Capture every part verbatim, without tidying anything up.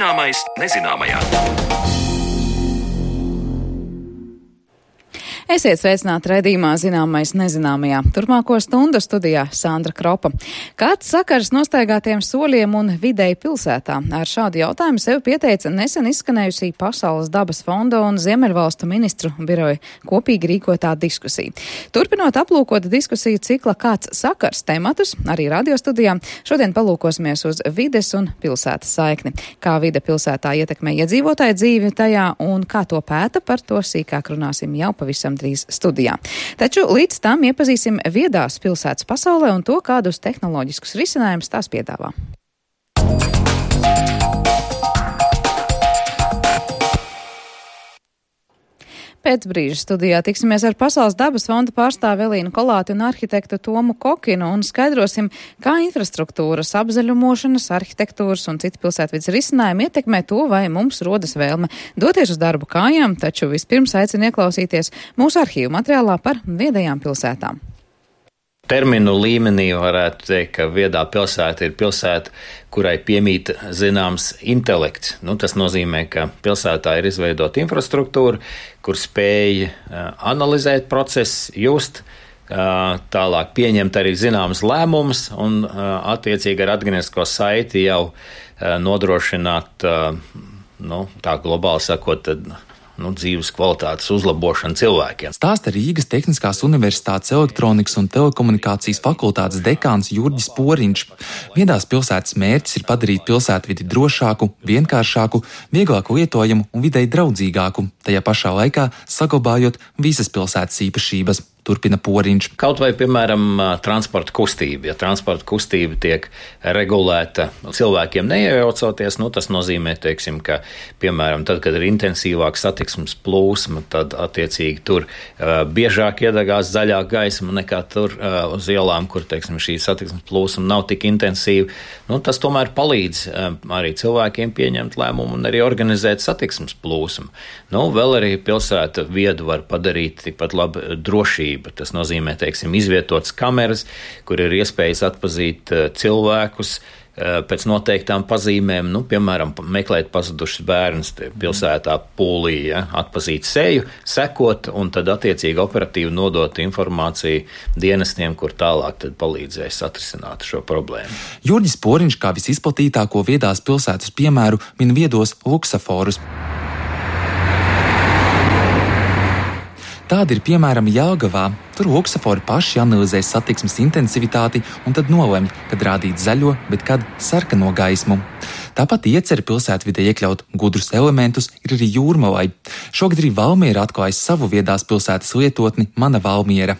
Zināmais nezināmajā. Esiet sveicināti raidījumā Zināmais nezināmajā. Turpmāko stundu studijā Sandra Kropa. Kāds sakars nostaigātiem soļiem un videi pilsētā? Ar šādu jautājumu sev pieteica nesen izskanējusī Pasaules dabas fonda un Ziemeļvalstu ministru biroja kopīgi rīkotā diskusija. Turpinot aplūkot diskusiju cikla Kāds sakars tematus, arī radiostudijā, šodien palūkosimies uz vides un pilsētas saikni. Kā vide pilsētā ietekmē iedzīvotāju dzīvi tajā un kā to pēta, par to sīkāk runāsim jau pavisam drīz studijā. Taču līdz tam iepazīsim viedās pilsētas pasaulē un to, kādus tehnoloģiskus risinājumus tās piedāvā. Pēc brīža studijā tiksimies ar Pasaules dabas fonda pārstāvi Elīnu Kolāti un arhitektu Tomu Kokinu un skaidrosim, kā infrastruktūras, apzaļumošanas, arhitektūras un citu pilsētvides risinājumi ietekmē to, vai mums rodas vēlme doties uz darbu kājām, taču vispirms aicinu ieklausīties mūsu arhīvu materiālā par viedajām pilsētām. Terminu līmenī varētu teikt, ka viedā pilsēta ir pilsēta, kurai piemīt zināms intelekts. Nu, tas nozīmē, ka pilsētā ir izveidota infrastruktūra, kur spēj analizēt procesus, just, tālāk pieņemt arī zināmas lēmumus un attiecīgi ar atgrieznisko saiti jau nodrošināt, nu, tā globāli sakot, Nu, dzīves kvalitātes uzlabošana cilvēkiem. Stāsta Rīgas Tehniskās Universitātes elektronikas un telekomunikācijas fakultātes dekāns Jurģis Poriņš. Viedās pilsētas mērķis ir padarīt pilsētvidi drošāku, vienkāršāku, vieglāku lietojumu un videi draudzīgāku, tajā pašā laikā saglabājot visas pilsētas īpašības. Turpina Poriņš. Kaut vai, piemēram, transporta kustība. Ja transporta kustība tiek regulēta cilvēkiem neiejaucoties, nu, tas nozīmē, teiksim, ka, piemēram, tad, kad ir intensīvāka satiksmes plūsma, tad, attiecīgi, tur uh, biežāk iedegās zaļā gaisma nekā tur uh, uz ielām, kur, teiksim, šī satiksmes plūsma nav tik intensīva. Nu, tas tomēr palīdz uh, arī cilvēkiem pieņemt lēmumu un arī organizēt satiksmes plūsmu. Nu, vēl arī pilsēta viedu var padarīt tikpat labi drošību. Tas nozīmē, teiksim, izvietotas kameras, kur ir iespējas atpazīt cilvēkus pēc noteiktām pazīmēm, nu, piemēram, meklēt pazudušas bērnus pilsētā pūlī, ja, atpazīt seju, sekot un tad attiecīgi operatīvi nodot informāciju dienestiem, kur tālāk tad palīdzēs atrisināt šo problēmu. Jurģis Poriņš kā visizplatītāko viedās pilsētas piemēru min viedos luksaforus. Tāda ir piemēram Jelgavā. Tur luksafori paši analizē satiksmes intensivitāti un tad nolemj, kad rādīt zaļo, bet kad sarkano gaismu. Tāpat iecer pilsētvidē iekļaut gudrus elementus ir arī Jūrmalai. Šogad arī Valmiera atklājas savu viedās pilsētas lietotni Mana Valmiera.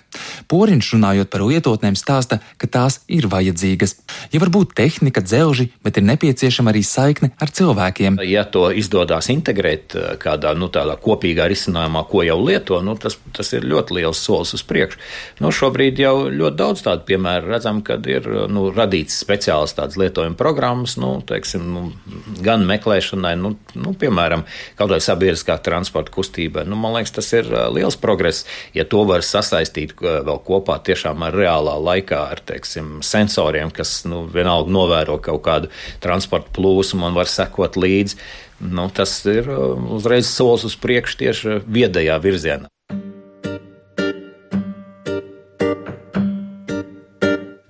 Poriņš runājot par lietotnēm stāsta, ka tās ir vajadzīgas. Ja var būt tehnika, dzelži, bet ir nepieciešama arī saikne ar cilvēkiem. Ja to izdodās integrēt kādā, nu, tādā kopīgā risinājumā, ko jau lieto, nu, tas, tas ir ļoti liels solis uz priekšu. Nu, šobrīd jau ļoti daudz tādu piemēru redzam, kad ir, nu, radīts speciāls tāds lietojuma programmas, nu, teiksim, nu, gan meklēšanai, nu, nu, piemēram, kaut vai sabiedriskā transporta kustībai. Nu, man liekas, tas ir liels progress, ja to var sasaistīt vēl kopā tiešām ar reālā laikā, ar, teiksim, sensoriem, kas, nu, vienalga novēro kaut kādu transporta plūsmu un var sekot līdzi. Nu, tas ir uzreiz solis uz priekšu tieši viedajā virzienā.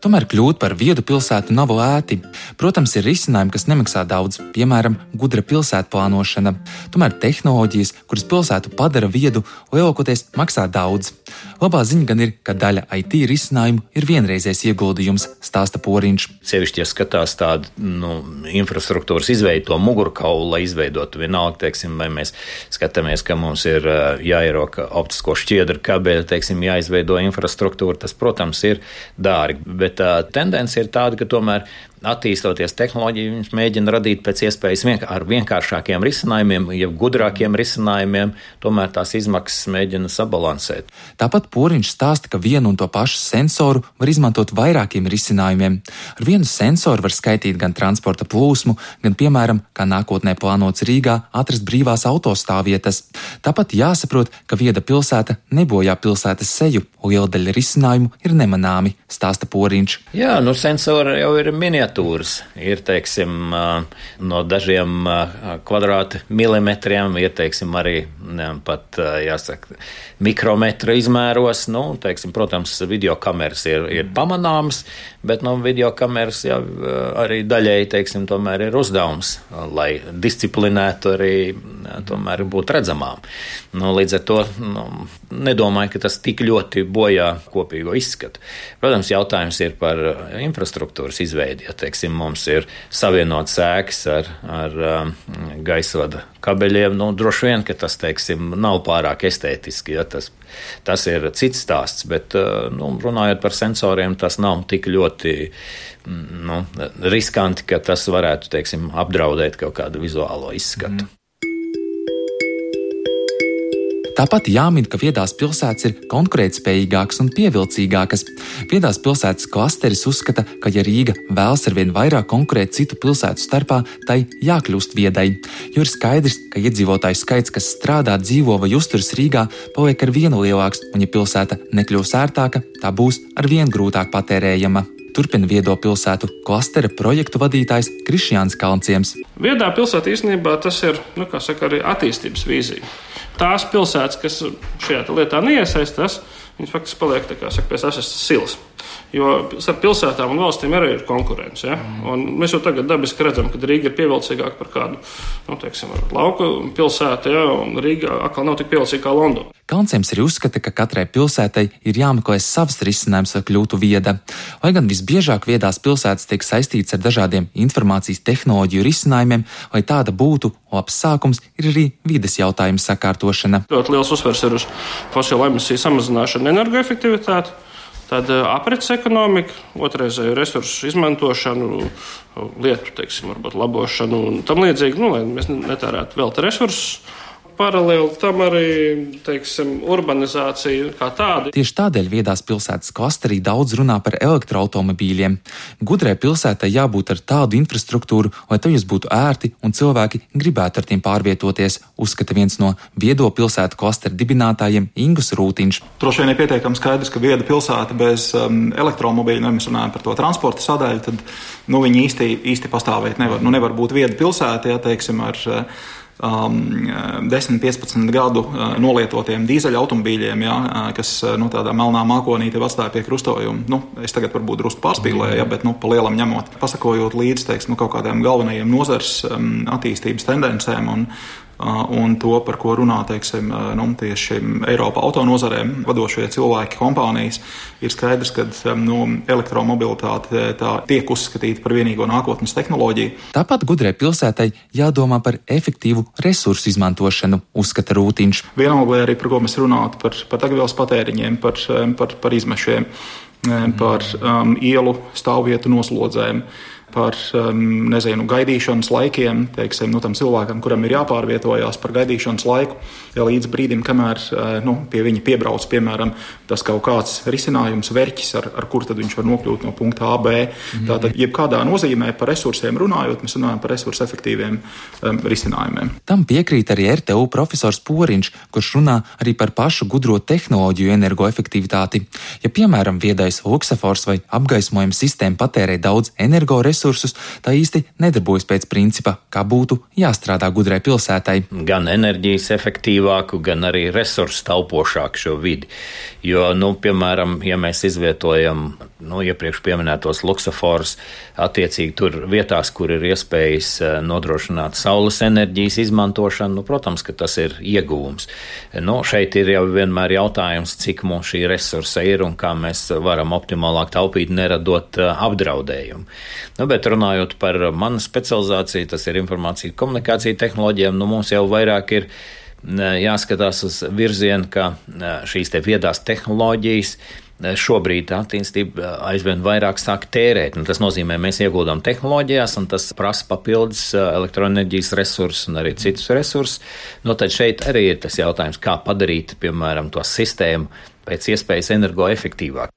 Tomēr kļūt par viedu pilsētu nav lēti. Protams, ir risinājumi, kas nemaksā daudz, piemēram, gudra pilsētu plānošana. Tomēr tehnoloģijas, kuras pilsētu padara viedu, lielākoties maksā daudz. Labā ziņa gan ir, ka daļa I T risinājumu ir vienreizējs ieguldījums, stāsta Poriņš. Sevišķi, ja skatās tādu, nu, infrastruktūras izveido mugurkaulu, lai izveidotu vienalga, teiksim, vai mēs skatāmies, ka mums ir jāieroka optisko šķiedru kabeļu, teiksim, jāizveido infrastruktūra, tas, protams, ir dārgi, bet tā tendence ir tāda, ka tomēr attīstoties tehnoloģiju, viņš mēģina radīt pēc iespējas vienk- ar vienkāršākiem risinājumiem, ja gudrākiem risinājumiem, tomēr tās izmaksas mēģina sabalansēt. Tāpat Poriņš stāsta, ka vienu un to pašu sensoru var izmantot vairākiem risinājumiem. Ar vienu sensoru var skaitīt gan transporta plūsmu, gan, piemēram, kā nākotnē plānots Rīgā, atrast brīvās autostāvvietas. Tāpat jāsaprot, ka vieda pilsēta nebojā pilsētas seju, liela daļa risinājumu ir nemanāmi, stāsta Poriņš. Jā, nu sensori jau ir miniatūra miniatūras, ir, teiksim, no dažiem kvadrāta milimetriem, ir, teiksim, arī ne, pat, jāsaka, mikrometra izmēros. Nu, teiksim, protams, videokameras ir, ir pamanāmas, bet, nu, videokameras jau arī daļēji, teiksim, tomēr ir uzdevums, lai disciplinētu arī, tomēr būtu redzamām. Nu, līdz ar to, nu, nedomāju, ka tas tik ļoti bojā kopīgo izskatu. Protams, jautājums ir par infrastruktūras izveidi. Ja, teiksim, mums ir savienot sēkas ar, ar um, gaisvada kabeļiem, nu, droši vien, ka tas, teiksim, nav pārāk estētiski. Ja, tas, tas ir cits stāsts, bet, nu, runājot par sensoriem, tas nav tik ļoti, nu, riskanti, ka tas varētu, teiksim, apdraudēt kaut kādu vizuālo izskatu. Mm. Tāpat jāmin, ka viedās pilsētas ir konkurētspējīgākas un pievilcīgākas. Viedās pilsētas klasteris uzskata, ka ja Rīga vēlas arvien vairāk konkurēt citu pilsētu starpā, tai jākļūst viedai, jo ir skaidrs, ka iedzīvotāju skaits, kas strādā, dzīvo vai uzturas Rīgā, paliek ar vienu lielāks, un ja pilsēta nekļūs ērtāka, tā būs ar vien grūtāk patērējama. Turpina viedo pilsētu klastera projektu vadītājs Krišjāns Kalnciems. Viedā pilsēta īstenībā tas ir, nu, kā saka, arī attīstības vīzija. Tās pilsētas, kas šajā lietā neiesaistās, viņas faktiski paliek, tā kā saka, pēc asestas silas. Jo starp pilsētām un valstīm arī ir konkurence. Ja? Un mēs jau tagad dabiski redzam, ka Rīga ir pievilcīgāka par kādu, nu, teiksim, lauku pilsētu, ja? Un Rīga atkal nav tik pievilcīga kā Londona. Kalnciems arī uzskata, ka katrai pilsētai ir jāmeklē savs risinājums, lai kļūtu vieda. Lai gan visbiežāk viedās pilsētas tiek saistīts ar dažādiem informācijas tehnoloģiju risinājumiem, lai tāda būtu, labs sākums ir arī vides jautājumu sakārtošana. Ļoti liels uzsvers ir uz fosilo emisiju samazināšanu, energoefektivitāti, tad aprits ekonomika, otrreizēju resursu izmantošanu, lietu, teiksim, varbūt labošanu un tam līdzīgi, nu, lai mēs netērētu velti resursus. Paralēli tam arī, teiksim, urbanizācija kā tāda. Tieši tādēļ viedās pilsētas klasterī daudz runā par elektroautomobīļiem. Gudrai pilsētai jābūt ar tādu infrastruktūru, lai tajos būtu ērti un cilvēki gribētu ar tiem pārvietoties, uzskata viens no viedo pilsētu klastera dibinātājiem Ingus Rūtiņš. Droši vien ir pietiekami skaidrs, ka vieda pilsēta bez um, elektromobīļa, ja mēs runājam par to transporta sadaļu, tad, nu, viņi īsti, īsti pastāvēt nevar. Nu, nevar būt vieda pilsēta, ja, teiksim, ar Um, desmit piecpadsmit gadu uh, nolietotiem dīzeļa automobīļiem, ja, uh, kas uh, nu, tādā melnā mākonī tev atstāja pie krustojuma. Nu, es tagad varbūt drusku pārspīlēju, ja, bet nu, pa lielam ņemot, pasakojot līdz, teiksim, nu, kaut kādiem galvenajiem nozars um, attīstības tendencēm un, uh, un to, par ko runā, teiksim, uh, nu, tieši Eiropā autonozarēm vadošie cilvēki, kompānijas, ir skaidrs, ka um, nu, elektromobilitāte tā tiek uzskatīta par vienīgo nākotnes tehnoloģiju. Tāpat gudrai pilsētai jādomā par efektīvu resursu izmantošanu, uzskata Rūtiņš. Vienalga arī, par ko mēs runātu, par, par degvielas patēriņiem, par, par, par izmešiem, par um, ielu stāvvietu noslodzēm, par, um, nezinu, gaidīšanas laikiem, teiksim, nu, tam cilvēkam, kuram ir jāpārvietojās par gaidīšanas laiku, ja līdz brīdim, kamēr, nu, pie viņa piebrauc, piemēram, tas kaut kāds risinājums, verķis, ar, ar kur tad viņš var nokļūt no punkta A, B. Mm. Tātad, jebkādā nozīmē par resursiem runājot, mēs runājam par resursu efektīviem um, risinājumiem. Tam piekrīt arī R T U profesors Poriņš, kurš runā arī par pašu gudro tehnoloģiju energoefektivitāti. Ja, piemēram, viedais luksafors vai apgaismojuma sistēma patērē daudz energoresursus, tā īsti nedarbojas pēc principa, kā būtu jāstrādā gudrai pilsētai. Gan enerģijas efektīvāku, gan arī resursu taupošāku šo vidi. Jo, nu, piemēram, ja mēs izvietojam, nu, iepriekš pieminētos luksaforus, attiecīgi tur vietās, kur ir iespējas nodrošināt saules enerģijas izmantošanu, nu, protams, ka tas ir ieguvums. Nu, šeit ir jau vienmēr jautājums, cik mums šī resursa ir un kā mēs varam optimālāk taupīt, neradot apdraudējumu. Nu, bet runājot par manu specializāciju, tas ir informācija komunikācija tehnoloģijām, nu, mums jau vairāk ir jāskatās uz virzienu, ka šīs te viedās tehnoloģijas šobrīd attīstība aizvien vairāk sāk tērēt. Un tas nozīmē, mēs ieguldām tehnoloģijās, un tas prasa papildus elektroenerģijas resursus un arī citus resursus. Nu, tad šeit arī ir tas jautājums, kā padarīt, piemēram, to sistēmu pēc iespējas energoefektīvāk.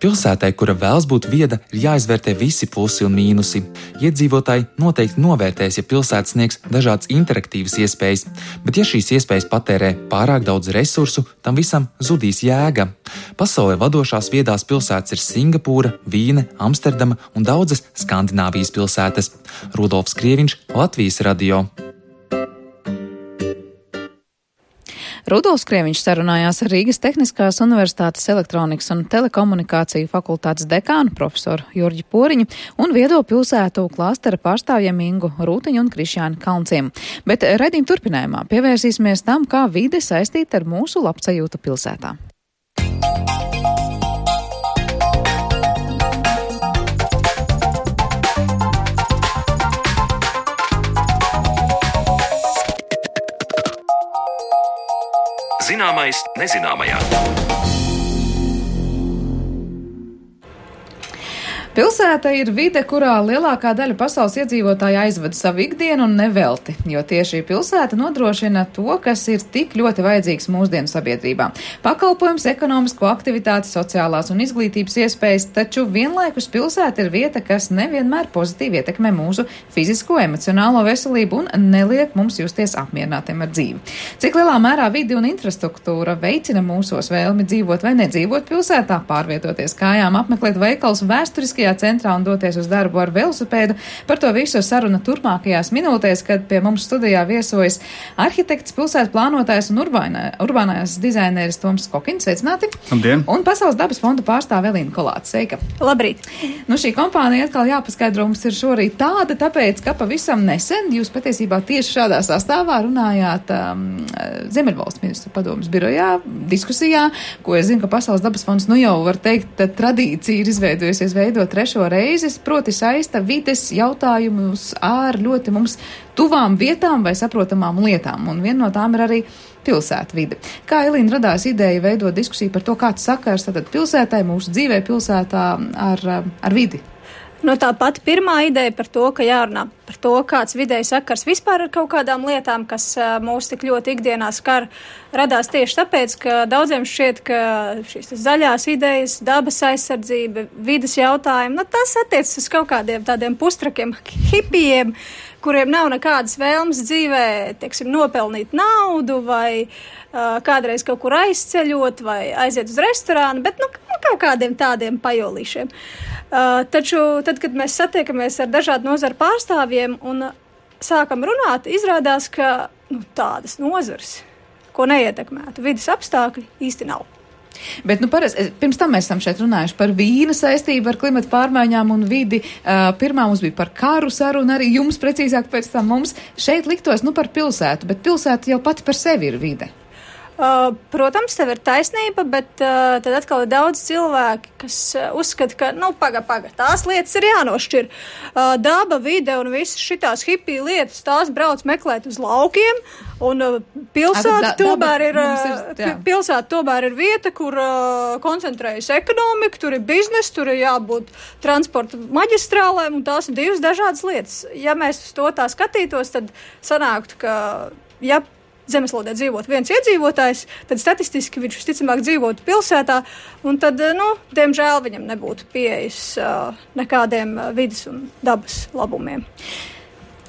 Pilsētai, kura vēlas būt vieda, ir jāizvērtē visi plusi un mīnusi. Iedzīvotāji noteikti novērtēs, ja pilsēta sniegs dažādas interaktīvas iespējas, bet ja šīs iespējas patērē pārāk daudz resursu, tam visam zudīs jēga. Pasaulē vadošās viedās pilsētas ir Singapūra, Vīne, Amsterdama un daudzas Skandināvijas pilsētas. Rudolfs Krieviņš, Latvijas radio. Rudolfs Krieviņš sarunājās ar Rīgas Tehniskās universitātes elektronikas un telekomunikāciju fakultātes dekānu profesoru Jurģi Poriņu un viedo pilsētu klāstera pārstāvjiem Ingu Rūtiņu un Krišjāni Kalnciem. Bet raidījuma turpinājumā pievērsīsimies tam, kā vide saistīta ar mūsu labsajūtu pilsētā. Zināmais nezināmajā. Pilsēta ir vide, kurā lielākā daļa pasaules iedzīvotāja aizvada savu ikdienu un nevelti, jo tieši pilsēta nodrošina to, kas ir tik ļoti vajadzīgs mūsdienu sabiedrībā. Pakalpojums, ekonomisko aktivitāti, sociālās un izglītības iespējas, taču vienlaikus pilsēta ir vieta, kas nevienmēr pozitīvi ietekmē mūsu fizisko, emocionālo veselību un neliek mums justies apmierinātiem ar dzīvi. Cik lielā mērā vidi un infrastruktūra veicina mūsos vēlmi dzīvot vai nedzīvot pilsētā, pārvietoties kājām, apmeklēt veikalus vēsturiski centrā un doties uz darbu ar velosipēdu. Par to visu saruna turpmākajās minūtēs, kad pie mums studijā viesojas arhitekts, pilsētas plānotājs un urbānā, urbānais dizaineris Toms Kokins. Sveicināti! Labdien! Un Pasaules dabas fonda pārstāve Elīna Kolāte. Sveika! Labrīt! Nu, šī kompānija atkal jāpaskaidro mums ir šorīt tāda, tāpēc, ka pavisam nesen jūs patiesībā tieši šādā sastāvā runājāt um, Ziemeļvalstu ministru padomes birojā, diskusijā, ko es zinu, ka Pasaules dabas fonds, nu jau var teikt, tradīcija ir izveidojusies veidot trešo reizi, proti saista vides jautājumus ar ļoti mums tuvām vietām vai saprotamām lietām, un viena no tām ir arī pilsēta vide. Kā Elīna radās ideja veidot diskusiju par to, kāds sakars tātad pilsētai, mūsu dzīvē pilsētā ar, ar vidi? No tā pati pirmā ideja par to, ka jārunā par to, kāds vidēji sakars vispār ar kaut kādām lietām, kas uh, mūs tik ļoti ikdienā skar, radās tieši tāpēc, ka daudziem šķiet, ka šīs zaļās idejas, dabas aizsardzība, vides jautājumi, nu tas attiecas uz kaut kādiem tādiem pustrakiem hipijiem, kuriem nav nekādas vēlmes dzīvē, teiksim, nopelnīt naudu vai uh, kādreiz kaut kur aizceļot vai aiziet uz restorānu, bet nu, kaut kādiem tādiem pajolīšiem. Uh, taču tad, kad mēs satiekamies ar dažādu nozaru pārstāvjiem un sākam runāt, izrādās, ka nu, tādas nozares, ko neietekmētu vides apstākļi, īsti nav. Bet, nu, parasti, pirms tam mēs esam šeit runājuši par vīna saistību ar klimatu pārmaiņām un vidi. Uh, pirmā mums bija par karu sarunu, arī jums precīzāk pēc tam mums šeit liktos, nu, par pilsētu, bet pilsēta jau pati par sevi ir vide. Uh, protams, tev ir taisnība, bet uh, tad atkal ir daudz cilvēki, kas uh, uzskata, ka, nu, paga, paga, tās lietas ir jānošķir. Uh, daba, vide un visas šitās hipiju lietas, tās brauc meklēt uz laukiem, un uh, pilsēta da, tomēr ir, ir, uh, pilsēta tomēr ir vieta, kur uh, koncentrējas ekonomika, tur ir biznes, tur ir jābūt transporta maģistrālēm, un tās ir divas dažādas lietas. Ja mēs uz to tā skatītos, tad sanāktu, ka, ja zemeslodē dzīvot viens iedzīvotājs, tad statistiski viņš visticamāk dzīvotu pilsētā, un tad, nu, diemžēl viņam nebūtu pieejas uh, nekādiem uh, vidas un dabas labumiem.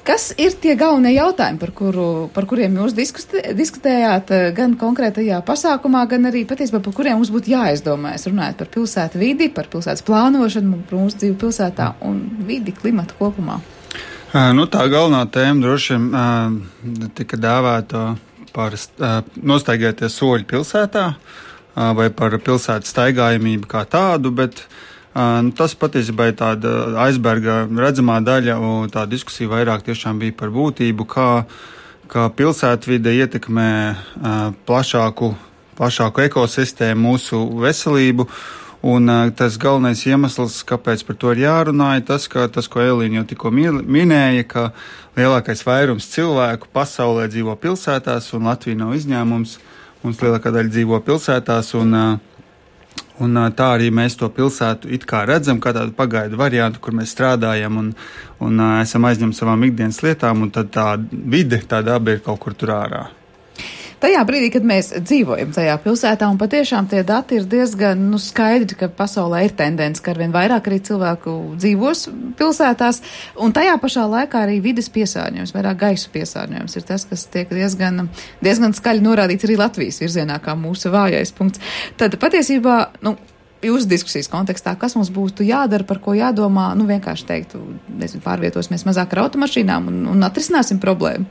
Kas ir tie galvenie jautājumi, par, kuru, par kuriem jūs diskutē, diskutējāt gan konkrētajā pasākumā, gan arī patiesībā par kuriem mums būtu jāizdomājas, runājot par pilsētu vidi, par pilsētas plānošanu, par mūsu dzīvi pilsētā un vidi, klimatu kopumā? Uh, nu, tā galvenā tēma droši vien uh, tika dēvēta par uh, nostaigāties soļi pilsētā uh, vai par pilsētas staigājamību kā tādu, bet uh, nu, tas patiesībā ir tāda aizberga redzamā daļa, un tā diskusija vairāk tiešām bija par būtību, kā, kā pilsētvide ietekmē uh, plašāku, plašāku ekosistēmu, mūsu veselību. Un uh, tas galvenais iemesls, kāpēc par to ir jārunā, ir tas, ka tas, ko Elīna jau tikko minēja, ka lielākais vairums cilvēku pasaulē dzīvo pilsētās, un Latvija nav izņēmums. Mums lielākā daļa dzīvo pilsētās, un, uh, un uh, tā arī mēs to pilsētu it kā redzam, kā tādu pagaidu variantu, kur mēs strādājam un, un uh, esam aizņemti savām ikdienas lietām, un tad tā vide, tā daba ir kaut kur tur ārā. Tajā brīdī, kad mēs dzīvojam tajā pilsētā, un patiešām tie dati ir diezgan nu, skaidri, ka pasaulē ir tendence, ka arvien vairāk arī cilvēku dzīvos pilsētās, un tajā pašā laikā arī vides piesārņojums, vairāk gaisa piesārņojums ir tas, kas tiek diezgan, diezgan skaļi norādīts arī Latvijas virzienā kā mūsu vājais punkts. Tad patiesībā, nu, jūsu diskusijas kontekstā, kas mums būtu jādara, par ko jādomā, nu vienkārši teiktu, nezinu, pārvietosimies mazāk ar automašīnām un, un atrisināsim problēmu?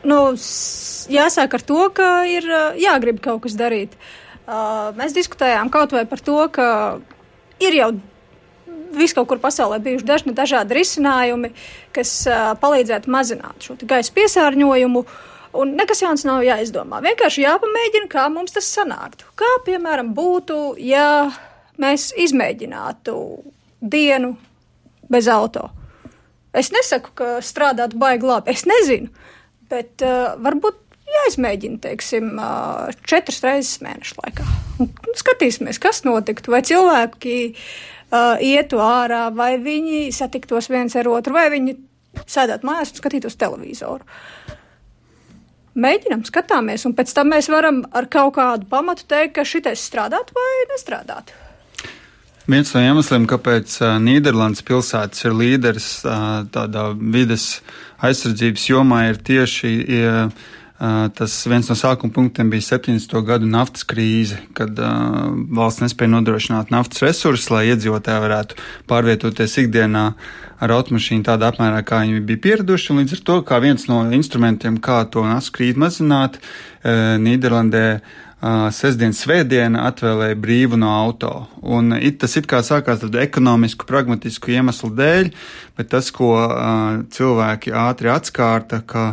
Nu, jāsāk ar to, ka ir jāgrib kaut kas darīt. Uh, mēs diskutējām kaut vai par to, ka ir jau visu kaut kur pasaulē bijuši dažni dažādi risinājumi, kas uh, palīdzētu mazināt šo gaisa piesārņojumu. Un nekas jauns nav jāizdomā. Vienkārši jāpamēģina, kā mums tas sanāktu. Kā, piemēram, būtu, ja mēs izmēģinātu dienu bez auto. Es nesaku, ka strādāt baigi labi. Es nezinu, bet uh, varbūt jāizmēģina, teiksim, uh, četras reizes mēnešu laikā. Un skatīsimies, kas notiktu. Vai cilvēki uh, ietu ārā, vai viņi satiktos viens ar otru, vai viņi sēdētu mājās un skatītos televizoru. Mēģinam, skatāmies, un pēc tam mēs varam ar kaut kādu pamatu teikt, ka šitais strādātu vai nestrādātu. Viens no iemesliem, kāpēc Nīderlandes pilsētas ir līderis tādā vides aizsardzības jomā, ir tieši ja, tas viens no sākuma punktiem bija septiņdesmito gadu naftas krīze, kad uh, valsts nespēja nodrošināt naftas resursus, lai iedzīvotāji varētu pārvietoties ikdienā ar automašīnu tādā apmērā, kā viņi bija pieraduši, un līdz ar to, kā viens no instrumentiem, kā to naftas krīzi mazināt, uh, Nīderlandē uh, sestdien, svētdiena atvēlēja brīvu no auto. Un it, tas it kā sākās tādu ekonomisku, pragmatisku iemeslu dēļ, bet tas, ko uh, cilvēki ātri atskārta, ka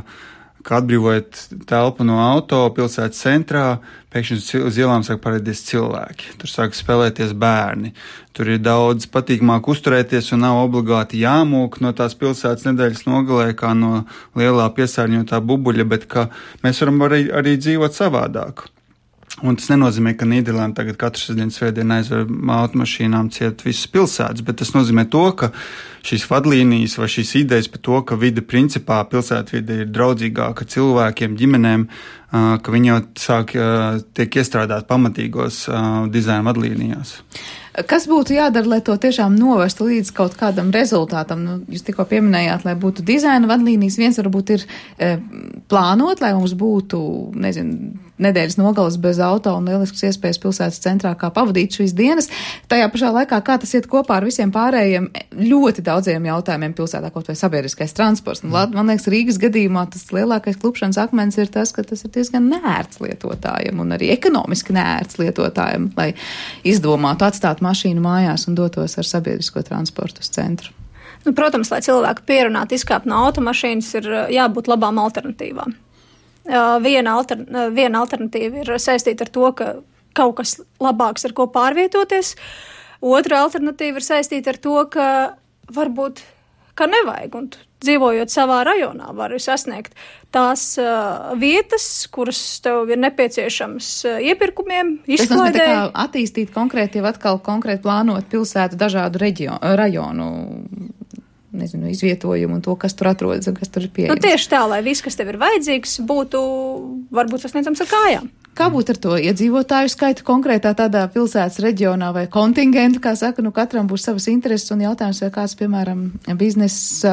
ka atbrīvojot telpu no auto pilsētas centrā, pēkšņi uz ielām sāk parādīties cilvēki. Tur sāk spēlēties bērni. Tur ir daudz patīkamāk uzturēties un nav obligāti jāmūk no tās pilsētas nedēļas nogalē, kā no lielā piesārņotā bubuļa, bet ka mēs varam arī, arī dzīvot savādāk. Un tas nenozīmē, ka Nīderlanda tagad katru sestdienu svētdienu aizver automašīnām ciet visas pilsētas, bet tas nozīmē to, ka šīs vadlīnijas vai šīs idejas par to, ka vide principā pilsētvide ir draudzīgāka cilvēkiem, ģimenēm, ka viņi jau sāk tiek iestrādāt pamatīgos dizaina vadlīnijās. Kas būtu jādara, lai to tiešām novestu līdz kaut kādam rezultātam? Nu, jūs tikko pieminējāt, lai būtu dizaina vadlīnijas. Viens varbūt ir e, plānot, lai mums būtu, nezinu, nedēļas nogales bez auto un lielisks iespējas pilsētas centrā, kā pavadīt šīs dienas. Tajā pašā laikā, kā tas iet kopā ar visiem pārējiem ļoti daudziem jautājumiem pilsētā, kaut vai sabiedriskais transports. Un, man liekas, Rīgas gadījumā tas lielākais klupšanas akmens ir tas, ka tas ir diezgan neērts lietotājiem un arī ekonomiski neērts lietotājiem, lai izdomātu atstāt mašīnu mājās un dotos ar sabiedrisko transportu uz centru. Nu, protams, lai cilvēku pierunātu izkāpt no automašīnas, ir jābūt labām alternatīvām. Viena, alter, viena alternatīva ir saistīta ar to, ka kaut kas labāks, ar ko pārvietoties. Otra alternatīva ir saistīta ar to, ka varbūt, ka nevajag, un dzīvojot savā rajonā, var sasniegt tās uh, vietas, kuras tev ir nepieciešams uh, iepirkumiem, izklaidē. Tas nozīmē tā kā attīstīt konkrēti, jau atkal konkrēti plānot pilsētu dažādu reģionu, rajonu, nezinu, izvietojumu un to, kas tur atrodas un kas tur ir pieejams. Nu, tieši tā, lai viss, kas tev ir vajadzīgs, būtu varbūt sasniedzams ar kājām. Kā būtu ar to iedzīvotāju skaitu konkrētā tādā pilsētas reģionā vai kontingentu, kā saka, nu katram būs savas intereses un jautājums, vai kāds, piemēram, biznesa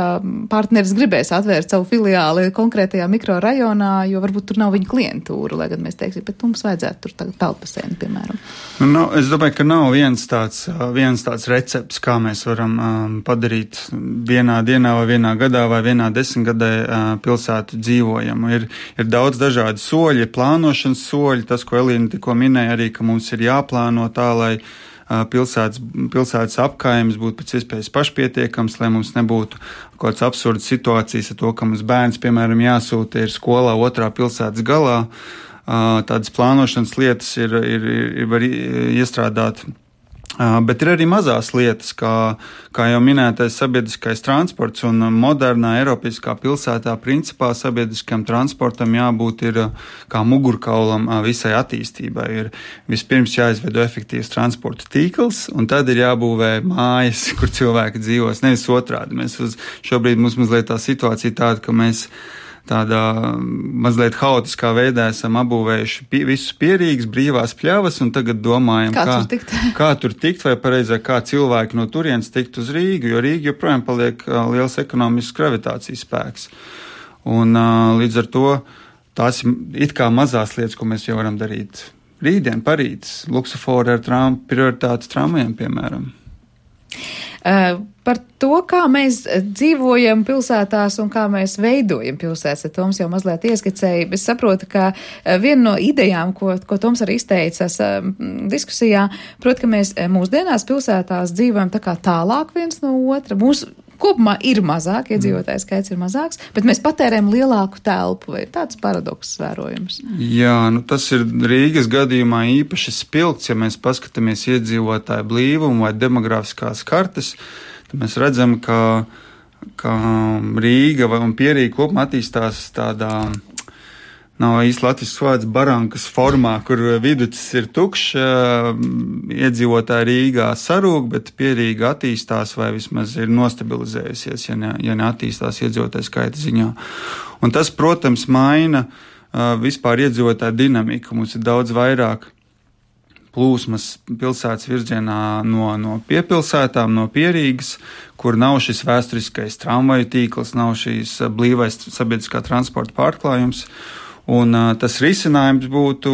partneris gribēs atvērt savu filiāli konkrētajā mikrorajonā, jo varbūt tur nav viņa klientūra, lai gan mēs teiksim, bet mums vajadzētu tur telpasēni, piemēram. Nu, es domāju, ka nav viens tāds, viens tāds recepts, kā mēs varam um, padarīt vienā dienā vai vienā gadā vai vienā desmitgadē uh, pilsētu dzīvojamu. Ir, ir daudz dažādi soļi, plānošanas soļi. Tas, ko Elīna tikko minēja, arī, ka mums ir jāplāno tā, lai uh, pilsētas, pilsētas apkaimes būtu pēc iespējas pašpietiekams, lai mums nebūtu kaut kāds absurds situācijas ar to, ka mums bērns, piemēram, jāsūta ir skolā otrā pilsētas galā. Uh, tādas plānošanas lietas ir, ir, ir, ir var iestrādāt. Uh, bet ir arī mazās lietas, kā, kā jau minētais sabiedriskais transports un modernā Eiropiskā pilsētā principā sabiedriskam transportam jābūt ir kā mugurkaulam visai attīstībai. Ir vispirms jāizveido efektīvs transporta tīkls un tad ir jābūvē mājas, kur cilvēki dzīvos, nevis otrādi. Mēs uz, šobrīd mums mazliet tā situācija tāda, ka mēs tādā mazliet haotiskā veidā esam apbūvējuši pie, visus pierīgas, brīvās pļavas, un tagad domājam, kā, kā, tur tikt? kā tur tikt, vai pareizāk, kā cilvēki no turienes tikt uz Rīgu, jo Rīga joprojām paliek liels ekonomisks gravitācijas spēks. Un līdz ar to tās ir it kā mazās lietas, ko mēs jau varam darīt rītdien, parīt, luksofori ar tram, prioritātes tramvajiem, piemēram. Uh, par to, kā mēs dzīvojam pilsētās un kā mēs veidojam pilsētas, Toms jau mazliet ieskicēja. Es saprotu, ka viena no idejām, ko, ko Toms arī izteicas uh, diskusijā, proti, ka mēs mūsdienās pilsētās dzīvojam tā kā tālāk viens no otra. Mūsu kopumā ir mazāk, iedzīvotājs skaits ir mazāks, bet mēs patērējam lielāku telpu, vai tāds paradoks vērojams? Jā, nu tas ir Rīgas gadījumā īpaši spilgts, ja mēs paskatāmies iedzīvotāju blīvumu vai demografiskās kartes, tad mēs redzam, ka, ka Rīga un Pierīga kopumā attīstās tādā, nav īsti latviešu vārds, barankas formā, kur viducis ir tukšs, iedzīvotāji Rīgā sarūk, bet Pierīga attīstās vai vismaz ir nostabilizējusies, ja, ne, ja neattīstās iedzīvotāju skaita ziņā. Un tas, protams, maina vispār iedzīvotāju dinamiku. Mums ir daudz vairāk plūsmas pilsētas virzienā no, no piepilsētām, no Pierīgas, kur nav šis vēsturiskais tramvaju tīkls, nav šīs blīvais sabiedriskā transporta pārklājums. Un uh, tas risinājums būtu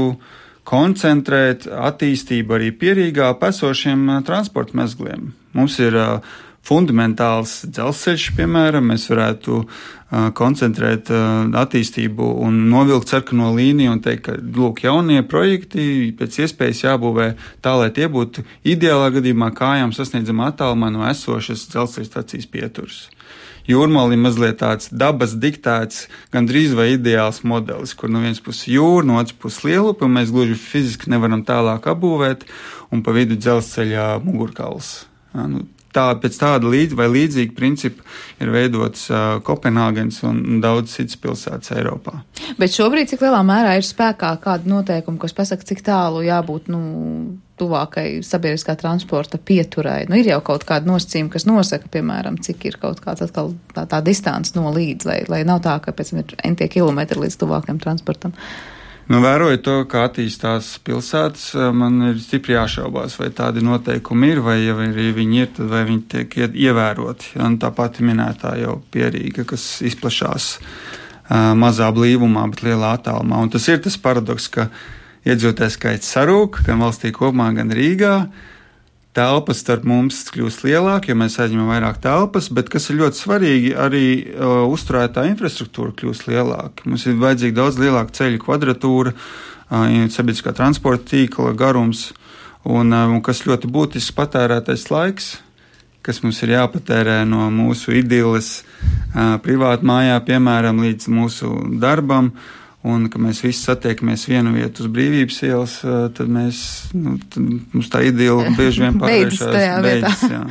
koncentrēt attīstību arī Pierīgā esošiem uh, transporta mezgliem. Mums ir uh, fundamentāls dzelzceļš, piemēram, mēs varētu uh, koncentrēt uh, attīstību un novilkt sarkano līniju un teikt, ka, lūk, jaunie projekti pēc iespējas jābūvē tā, lai tie būtu ideālā gadījumā kājām sasniedzama attālumā no esošas dzelzceļa stacijas pieturas. Jūrmāla ir mazliet tāds dabas diktēts, gandrīz vai ideāls modelis, kur no vienas puses jūra, no otras puses Lielupe, un mēs gluži fiziski nevaram tālāk apbūvēt, un pa vidu dzelzceļā mugurkauls. Ja, nu, tā, pēc tāda līdz vai līdzīga principa ir veidots uh, Kopenhāgens un, un daudz citas pilsētas Eiropā. Bet šobrīd cik lielā mērā ir spēkā kāda noteikuma, kas pasaka, cik tālu jābūt, nu, tuvākai sabiedriskā transporta pieturai? Nu, ir jau kaut kāda nosacījuma, kas nosaka, piemēram, cik ir kaut kāds atkal tā, tā distance no līdz, lai, lai nav tā, ka pēc tam ir entie kilometri līdz tuvākajam transportam. Nu, vērojot to, kā attīstās pilsētas, man ir stipri jāšaubās, vai tādi noteikumi ir, vai ja viņi ir, tad vai viņi tiek ievēroti. Un tā pati minētā jau Pierīga, kas izplašās uh, mazā blīvumā, bet lielā attālumā. Un tas ir tas paradoks, ka iedzīvotāju skaits sarūk, gan valstī kopumā, gan Rīgā. Telpas starp mums kļūst lielāk, jo mēs aizņemam vairāk telpas, bet, kas ir ļoti svarīgi, arī uh, uzturētā infrastruktūra kļūst lielāka. Mums ir vajadzīga daudz lielāka ceļu kvadratūra, uh, sabiedriskā transporta tīkla garums, un, uh, un kas ļoti būtisks patērētais laiks, kas mums ir jāpatērē no mūsu idiles uh, privātu mājā, piemēram, līdz mūsu darbam. Un, ka mēs visi satiekamies vienu vietu uz Brīvības ielas, tad mēs, nu, tad mums tā idila bieži vien pārvēršās beidzas. Jā.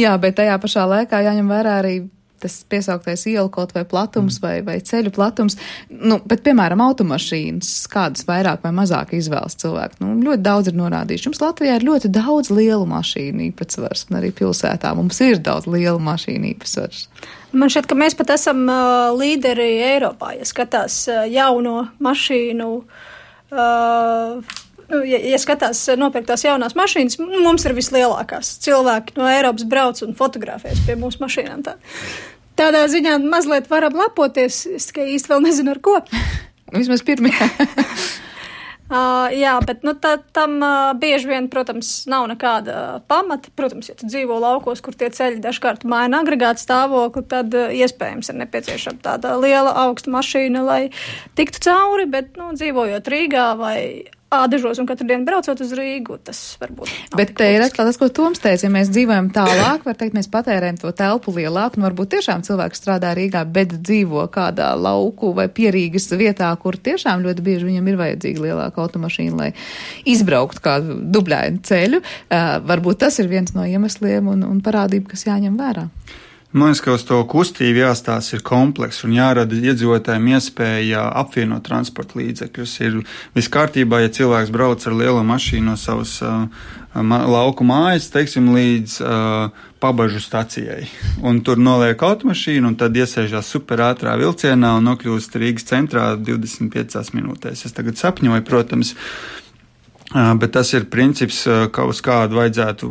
jā, bet tajā pašā laikā jāņem vērā arī tas piesauktais ielu kaut vai platums mm. vai, vai ceļu platums. Nu, bet, piemēram, automašīnas, kādas vairāk vai mazāk izvēlas cilvēki. Nu, ļoti daudz ir norādījuši. Mums Latvijā ir ļoti daudz lielu mašīnu īpatsvars, un arī pilsētā mums ir daudz lielu mašīnu īpatsvars. Man šķiet, ka mēs pat esam uh, līderi Eiropā, ja skatās uh, jauno mašīnu, uh, ja, ja skatās nopirktās jaunās mašīnas, mums ir vislielākās. Cilvēki no Eiropas brauc un fotografēs pie mūsu mašīnām. Tā. Tādā ziņā mazliet varam lepoties, es tikai īsti vēl nezinu ar ko. Vismaz pirmie. Uh, jā, bet nu, tā, tam uh, bieži vien, protams, nav nekāda pamata. Protams, ja tu dzīvo laukos, kur tie ceļi dažkārt maina agregātu stāvokli, tad uh, iespējams ir nepieciešama tāda liela augsta mašīna, lai tiktu cauri, bet nu, dzīvojot Rīgā vai Ādažos un katru dienu braucot uz Rīgu, tas varbūt nav. Bet te ir atkal tas, ko Toms teica, ja mēs dzīvojam tālāk, var teikt, mēs patērējam to telpu lielāku, un varbūt tiešām cilvēks strādā Rīgā, bet dzīvo kādā lauku vai Pierīgas vietā, kur tiešām ļoti bieži viņam ir vajadzīga lielāka automašīna, lai izbrauktu kādu dubļainu ceļu. Uh, varbūt tas ir viens no iemesliem un, un parādība, kas jāņem vērā. Man liekas, ka uz to kustību jāstāsta ir komplekss un jārada iedzīvotājiem iespēja apvienot transporta līdzekļus. Ir viss kārtībā, ja cilvēks brauc ar lielo mašīnu no savas uh, ma lauku mājas, teiksim, līdz uh, pabažu stacijai. Un tur noliek automašīnu un tad iesēžās superātrā vilcienā un nokļūst Rīgas centrā divdesmit piecās minūtēs. Es tagad sapņoju, protams, bet tas ir princips, ka uz kādu vajadzētu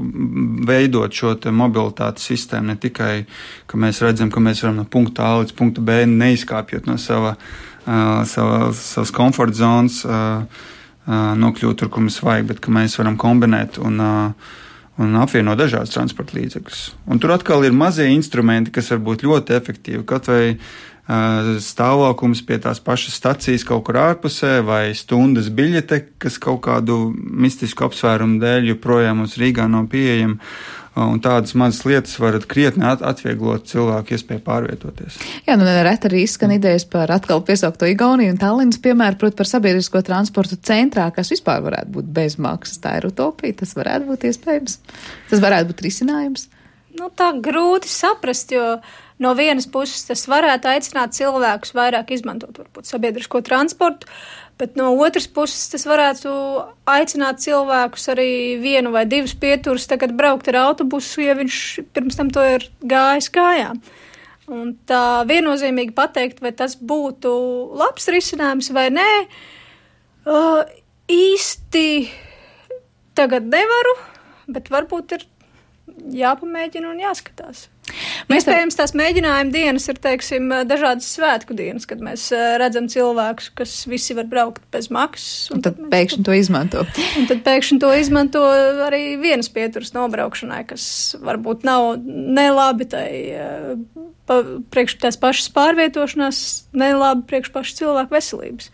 veidot šo te mobilitātes sistēmu, ne tikai, ka mēs redzam, ka mēs varam no punkta A līdz punkta B neizkāpjot no sava, sava, savas komforta zonas, nokļūt tur, kur mums vajag, bet ka mēs varam kombinēt un, un apvienot dažādas transporta līdzekļus. Un tur atkal ir mazie instrumenti, kas var būt ļoti efektīvi, kaut vai stāvokums pie tās pašas stacijas kaut kur ārpusē vai stundas biļete, kas kaut kādu mistisku apsvērumu dēļ joprojām mums Rīgā nav pieejama. Un tādas mazas lietas varat krietni atvieglot cilvēku iespēju pārvietoties. Jā, nu nereti arī izskan idejas par atkal piesaukto Igauniju un Tallinas piemēru, proti par sabiedrisko transportu centrā, kas vispār varētu būt bez maksas. Tā ir utopija, tas varētu būt iespējams. Tas varētu būt risinājums. Nu, tā grūti saprast, jo no vienas puses tas varētu aicināt cilvēkus vairāk izmantot varbūt sabiedrisko transportu, bet no otras puses tas varētu aicināt cilvēkus arī vienu vai divus pieturus tagad braukt ar autobusu, ja viņš pirms tam to ir gājis kājām. Un tā viennozīmīgi pateikt, vai tas būtu labs risinājums vai nē, uh, īsti tagad nevaru, bet varbūt ir jāpamēģina un jāskatās. Mēs Iespējams, tās mēģinājuma dienas ir, teiksim, dažādas svētku dienas, kad mēs redzam cilvēkus, kas visi var braukt bez maksas. Un, un tad, tad pēkšņi to izmanto. Un tad pēkšņi to izmanto arī vienas pieturas nobraukšanai, kas varbūt nav nelabi tai pa, priekš tās pašas pārvietošanās, nelabi priekš pašas cilvēku veselības.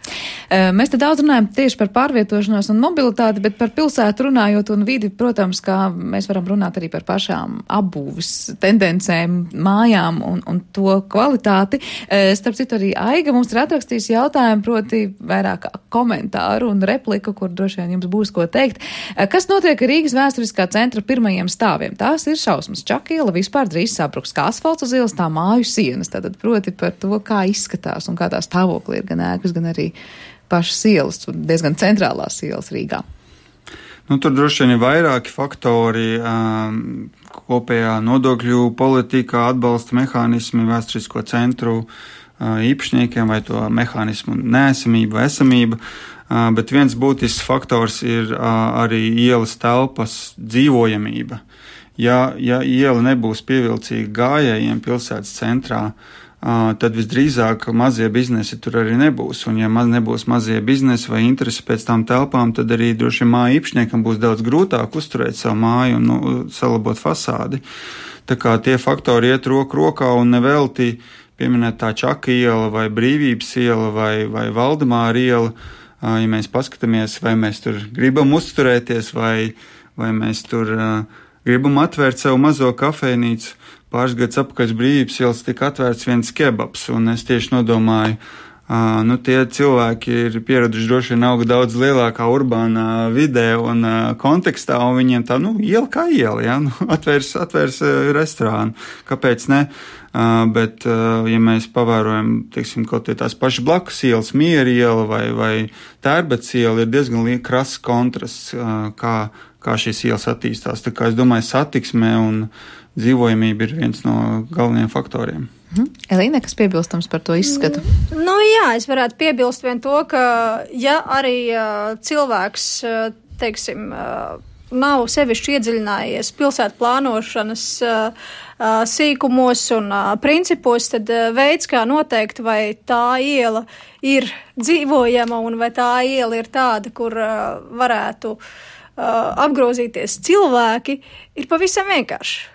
Mēs te daudz runājam tieši par pārvietošanos un mobilitāti, bet par pilsētu runājot un vidi, protams, kā mēs varam runāt arī par pašām apbūves tendencēm, mājām un, un to kvalitāti. Starp citu arī Aiga mums ir atrakstījis jautājumu, proti vairāk komentāru un repliku, kur droši vien jums būs ko teikt. Kas notiek Rīgas vēsturiskā centra pirmajiem stāviem? Tās ir šausmas. Čaka iela vispār drīz sabruks kā asfalts uz ielas, tā māju sienas. Tātad proti par to, kā izskatās un kā tā stāvokli ir gan ēkas, gan arī pašas ielas, diezgan centrālās ielas Rīgā. Nu, tur droši vien ir vairāki faktori, um, kopējā nodokļu politika, atbalsta mehānismi vēsturisko centru uh, īpašniekiem vai to mehānismu neesamība vai esamība, uh, bet viens būtisks faktors ir uh, arī ielas telpas dzīvojamība. Ja, ja iela nebūs pievilcīga gājējiem pilsētas centrā, tad visdrīzāk mazie biznesi tur arī nebūs. Un ja maz nebūs mazie biznesi vai interesi pēc tām telpām, tad arī droši māju īpašniekam būs daudz grūtāk uzturēt savu māju un nu, salabot fasādi. Tā kā tie faktori iet roku rokā un nevelti pieminēt tā Čaka iela vai Brīvības iela vai, vai Valdemāra iela, ja mēs paskatāmies, vai mēs tur gribam uzturēties vai, vai mēs tur uh, gribam atvērt savu mazo kafejnīcu. Pāris gadus apakaļ Brīvības ielas tika atvērts viens kebabs, un es tieši nodomāju, uh, nu tie cilvēki ir pieraduši droši vien auga daudz lielākā urbānā vidē un uh, kontekstā, un viņiem tā, nu, iela kā iela, ja, nu, atvērs, atvērs uh, restorānu, kāpēc ne? Uh, bet, uh, ja mēs pavērojam, teiksim, kaut tie tās pašas blakus ielas, Miera iela vai, vai Tērbets iela, ir diezgan krass kontrasts, uh, kā, kā šīs ielas attīstās. Tā kā es domāju, satiksmē un dzīvojamība ir viens no galvenajiem faktoriem. Mhm. Elīne, kas piebilstams par to izskatu? Nu jā, es varētu piebilst vien to, ka ja arī uh, cilvēks, uh, teiksim, uh, nav sevišķi iedziļinājies pilsētu plānošanas uh, uh, sīkumos un uh, principos, tad uh, veids, kā noteikt, vai tā iela ir dzīvojama un vai tā iela ir tāda, kur uh, varētu uh, apgrozīties cilvēki, ir pavisam vienkārši.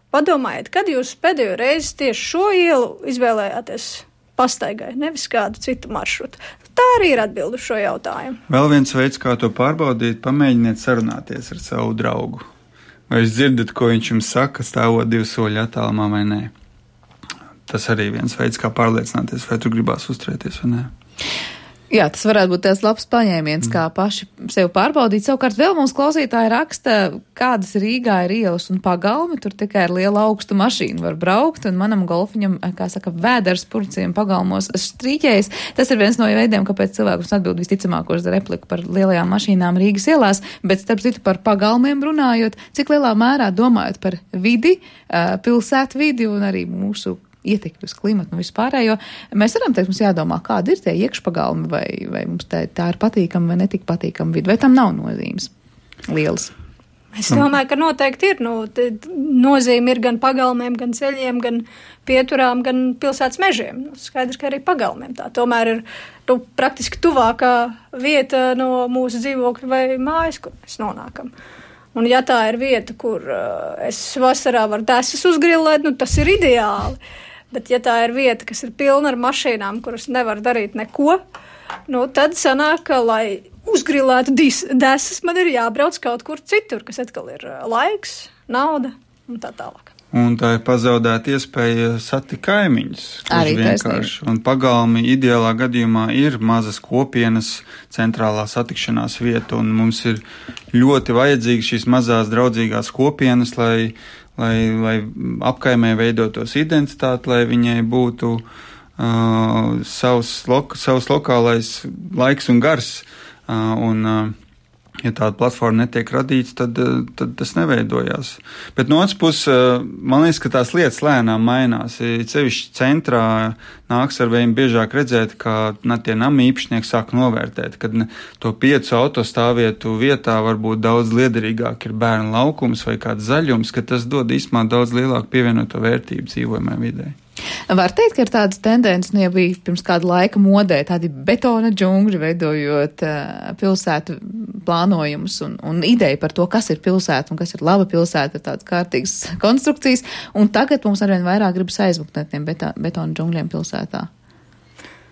Padomājiet, kad jūs pēdējo reizi tieši šo ielu izvēlējāties pastaigai, nevis kādu citu maršrutu. Tā arī ir atbilde uz šo jautājumu. Vēl viens veids, kā to pārbaudīt, pamēģiniet sarunāties ar savu draugu. Vai jūs dzirdat, ko viņš jums saka, stāvot divu soļu attālumā vai nē? Tas arī viens veids, kā pārliecināties, vai tu gribās uzturēties vai nē. Jā, tas varētu būt tāds labs paņēmiens, kā paši sev pārbaudīt. Savukārt vēl mums klausītāji raksta, kādas Rīgā ir ielas un pagalmi, tur tikai ar lielu augstu mašīnu var braukt, un manam golfiņam, kā saka, vēders purciem pagalmos strīķējas. Tas ir viens no veidiem, kāpēc cilvēkus atbild visticamāko uz repliku par lielajām mašīnām Rīgas ielās, bet starp citu par pagalmiem runājot, cik lielā mērā domājot par vidi, pilsētu vidi un arī mūsu ietekmi uz klimatu un vispārējo, mēs varam teikt, mums jādomā, kādi ir tie iekšpagalmi, vai, vai mums tā, tā ir patīkama vai netik patīkama vidi, vai tam nav nozīmes lielas. Es domāju, ka noteikti ir. Nu, nozīme ir gan pagalmiem, gan ceļiem, gan pieturām, gan pilsētas mežiem. Nu, skaidrs, ka arī pagalmiem tā. Tomēr ir nu, praktiski tuvākā vieta no mūsu dzīvokļa vai mājas, kur mēs nonākam. Un ja tā ir vieta, kur uh, es vasarā varu desas uzgrillēt, nu tas ir ideāli. Bet ja tā ir vieta, kas ir pilna ar mašīnām, kuras nevar darīt neko, nu tad sanāk, ka, lai uzgrillētu desas, man ir jābrauc kaut kur citur, kas atkal ir laiks, nauda un tā tālāk. Un tā ir pazaudēta iespēja satikt kaimiņus. Arī vienkārši. Un pagalmi ideālā gadījumā ir mazas kopienas centrālā satikšanās vieta, un mums ir ļoti vajadzīgas šīs mazās draudzīgās kopienas, lai, lai, lai apkaimē veidotos identitāti, lai viņai būtu uh, savs, lo, savs lokālais laiks un gars. Uh, un, uh, Ja tāda platforma netiek radīta, tad, tad tas neveidojās. Bet no otras puses, man liekas, ka tās lietas lēnām mainās. Cevišķi centrā nāks ar vien biežāk redzēt, ka tie nama īpašnieki sāk novērtēt, kad to piecu autostāvvietu vietā varbūt daudz liederīgāk ir bērnu laukums vai kāds zaļums, ka tas dod īstenībā daudz lielāku pievienoto vērtību dzīvojamai videi. Var teikt, ka ir tādas tendences, nu jau bija pirms kāda laika modē, tādi betona džungļi veidojot uh, pilsētu plānojumus un, un ideja par to, kas ir pilsēta un kas ir laba pilsēta, ir tādas kārtīgas konstrukcijas, un tagad mums arvien vairāk gribas aizmukt no tiem beta, betona džungļiem pilsētā.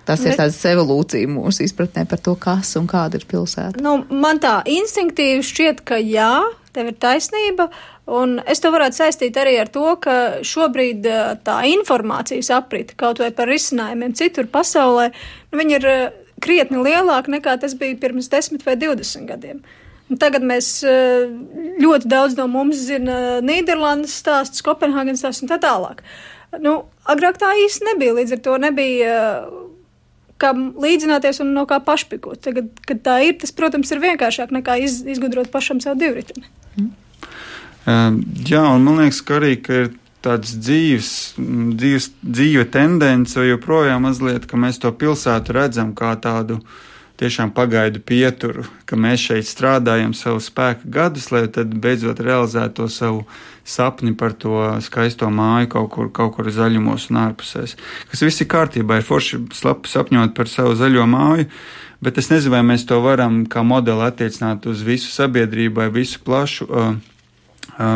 Tas Bet, ir tāds evolūcija mūsu izpratnē par to, kas un kāda ir pilsēta. Nu, man tā instinktīvi šķiet, ka jā, tev ir taisnība, un es to varētu saistīt arī ar to, ka šobrīd tā informācijas aprita kaut vai par risinājumiem citur pasaulē, nu, viņi ir krietni lielāki nekā tas bija pirms desmit vai divdesmit gadiem. Un tagad mēs ļoti daudz no mums zina Nīderlandes stāstus, Kopenhāgenes stāstus un tā tālāk. Nu, agrāk tā īsti nebija, līdz ar to nebija kā līdzināties un no kā pašpikot. Tagad, kad tā ir, tas, protams, ir vienkāršāk nekā iz, izgudrot pašam savu divriteni. Mm. Uh, jā, un man liekas, ka arī, ka ir tāds dzīves, dzīves, dzīve tendence, vai joprojām mazliet, ka mēs to pilsētu redzam kā tādu tiešām pagaidu pieturu, ka mēs šeit strādājam savu spēku gadus, lai tad beidzot realizētu to savu sapni par to skaisto māju kaut kur, kaut kur zaļumos un ārpusēs. Kas viss ir kārtībā, ir forši sapņot par savu zaļo māju, bet es nezinu, vai mēs to varam kā modeli attiecināt uz visu sabiedrību vai visu plašu, uh,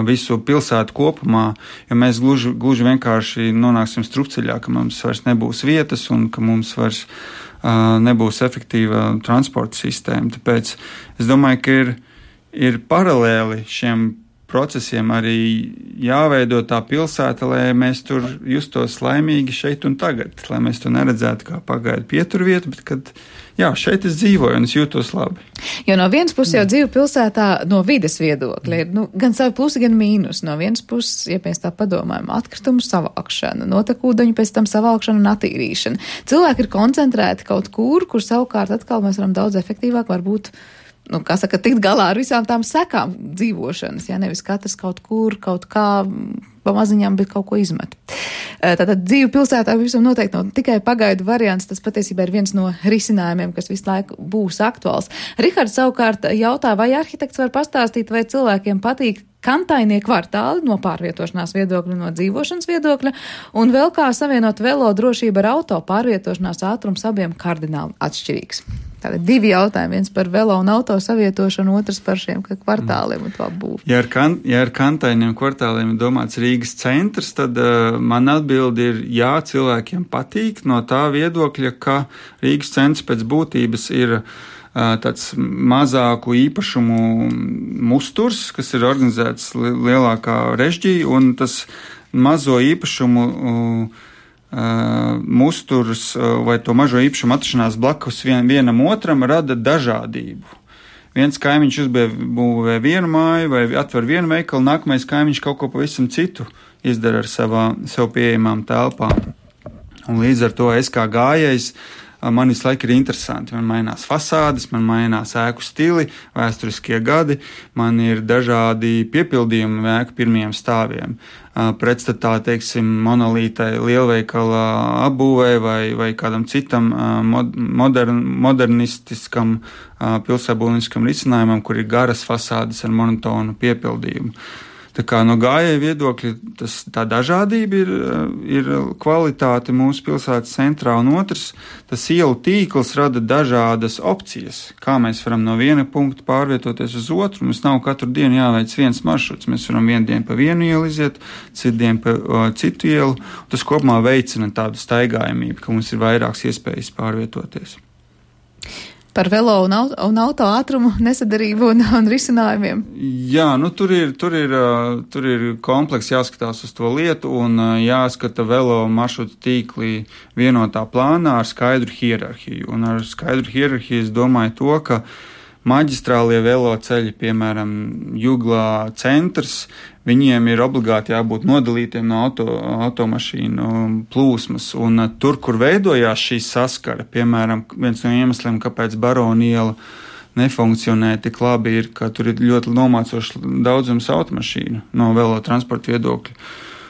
visu pilsētu kopumā, jo mēs gluži, gluži vienkārši nonāksim strupceļā, ka mums vairs nebūs vietas un ka mums vairs uh, nebūs efektīva transporta sistēma. Tāpēc es domāju, ka ir, ir paralēli šiem procesiem arī jāveido tā pilsēta, lai mēs tur justos laimīgi šeit un tagad, lai mēs to neredzētu kā pagaidu pieturvietu, bet kad, jā, šeit es dzīvoju un es jūtos labi. Jo no vienas puses jau dzīve pilsētā no vides viedokļa ir nu, gan savi plusi, gan mīnus. No vienas puses, ja mēs tā padomājam, atkritumu savākšana, notekūdeņu pēc tam savākšana un attīrīšana. Cilvēki ir koncentrēti kaut kur, kur savukārt atkal mēs varam daudz efektīvāk varbūt nu, kā saka, tikt galā ar visām tām sekām dzīvošanas, ja nevis katrs kaut kur, kaut kā pa maziņām, bet kaut ko izmet. Tātad dzīve pilsētā visam noteikti nav tikai pagaidu variants, tas patiesībā ir viens no risinājumiem, kas visu laiku būs aktuāls. Rihards savukārt jautā, vai arhitekts var pastāstīt, vai cilvēkiem patīk kantainie kvartāli no pārvietošanās viedokļa, no dzīvošanas viedokļa, un vēl kā savienot velo drošību ar auto pārvietošanās ātrums abiem kardināli atšķirīgs. Tātad divi jautājumi, viens par velo un auto savietošanu, otrs par šiem kvartāliem un to būvu. Ja ar, kan, ja ar kantainiem kvartāliem ir domāts Rīgas centrs, tad uh, man atbildi ir jā, cilvēkiem patīk no tā viedokļa, ka Rīgas centrs pēc būtības ir uh, tāds mazāku īpašumu musturs, kas ir organizēts li- lielākā režģī, un tas mazo īpašumu uh, musturs vai to mažo īpašumu atrašanās blakus vien, vienam otram rada dažādību. Viens kaimiņš uzbūvē vienu māju vai atver vienu veikalu, nākamais kaimiņš kaut ko pavisam citu izdara ar savā, sev pieejamām telpām. Un līdz ar to es kā gājējs, man visu laiku ir interesanti. Man mainās fasādes, man mainās ēku stili, vēsturiskie gadi, man ir dažādi piepildījumi ēku pirmajiem stāviem. Pretstatā, teiksim, monolītai lielveikala apbūvē vai, vai kādam citam modern, modernistiskam pilsētbūvnieciskam risinājumam, kur ir garas fasādes ar monotonu piepildījumu. Tā kā no gājēja viedokļa tas, tā dažādība ir, ir kvalitāte mūsu pilsētas centrā, un otrs, tas ielu tīkls rada dažādas opcijas, kā mēs varam no viena punkta pārvietoties uz otru. Mums nav katru dienu jāveic viens maršruts, mēs varam vienu dienu pa vienu ielu iziet, citu dienu pa o, citu ielu. Tas kopumā veicina tādu staigājamību, ka mums ir vairākas iespējas pārvietoties. Par velo un auto, un auto ātrumu nesadarību un, un risinājumiem. Jā, nu tur ir, tur ir, tur ir kompleks jāskatās uz to lietu un jāskata velo maršrutu tīklī vienotā plānā ar skaidru hierarhiju. Un ar skaidru hierarhiju es domāju to, ka maģistrālie velo ceļi, piemēram, Juglā centrs, viņiem ir obligāti jābūt nodalītiem no auto, automašīnu plūsmas. Un tur, kur veidojās šī saskara, piemēram, viens no iemesliem, kāpēc Barona iela nefunkcionē tik labi, ir, ka tur ir ļoti nomācošs daudzums automašīnu no velo transporta viedokļa.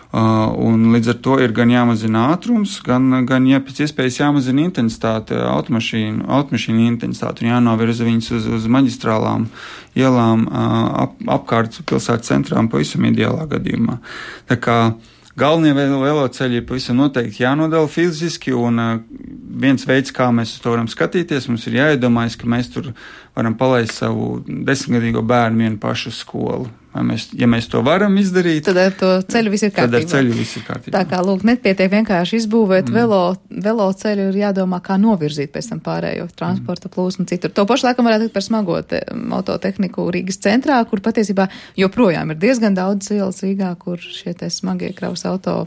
Uh, un līdz ar to ir gan jāmazina ātrums, gan, gan ja pēc iespējas jāmazina intensitāte, automašīnu, automašīnu intensitāte un jānovirza viņas uz, uz maģistrālām ielām uh, ap, apkārt pilsētas centrām pavisam ideālā gadījumā. Tā kā galvenie veloceļi ir pavisam noteikti jānodala fiziski, un uh, viens veids, kā mēs uz to varam skatīties, mums ir jāiedomājas, ka mēs tur varam palaist savu desmitgadīgo bērnu vienu pašu skolu. Mēs, ja mēs to varam izdarīt, tad ar to ceļu viss ir kārtībā. Tad ar ceļu viss ir kārtībā. Tā kā, lūk, nepietiek vienkārši izbūvēt mm. velo, velo ceļu, ir jādomā, kā novirzīt pēc tam pārējo transporta plūsmu citur. To pašu laikam varētu teikt par smago te, autotehniku Rīgas centrā, kur patiesībā joprojām ir diezgan daudz ielas Rīgā, kur šie te smagie kravas auto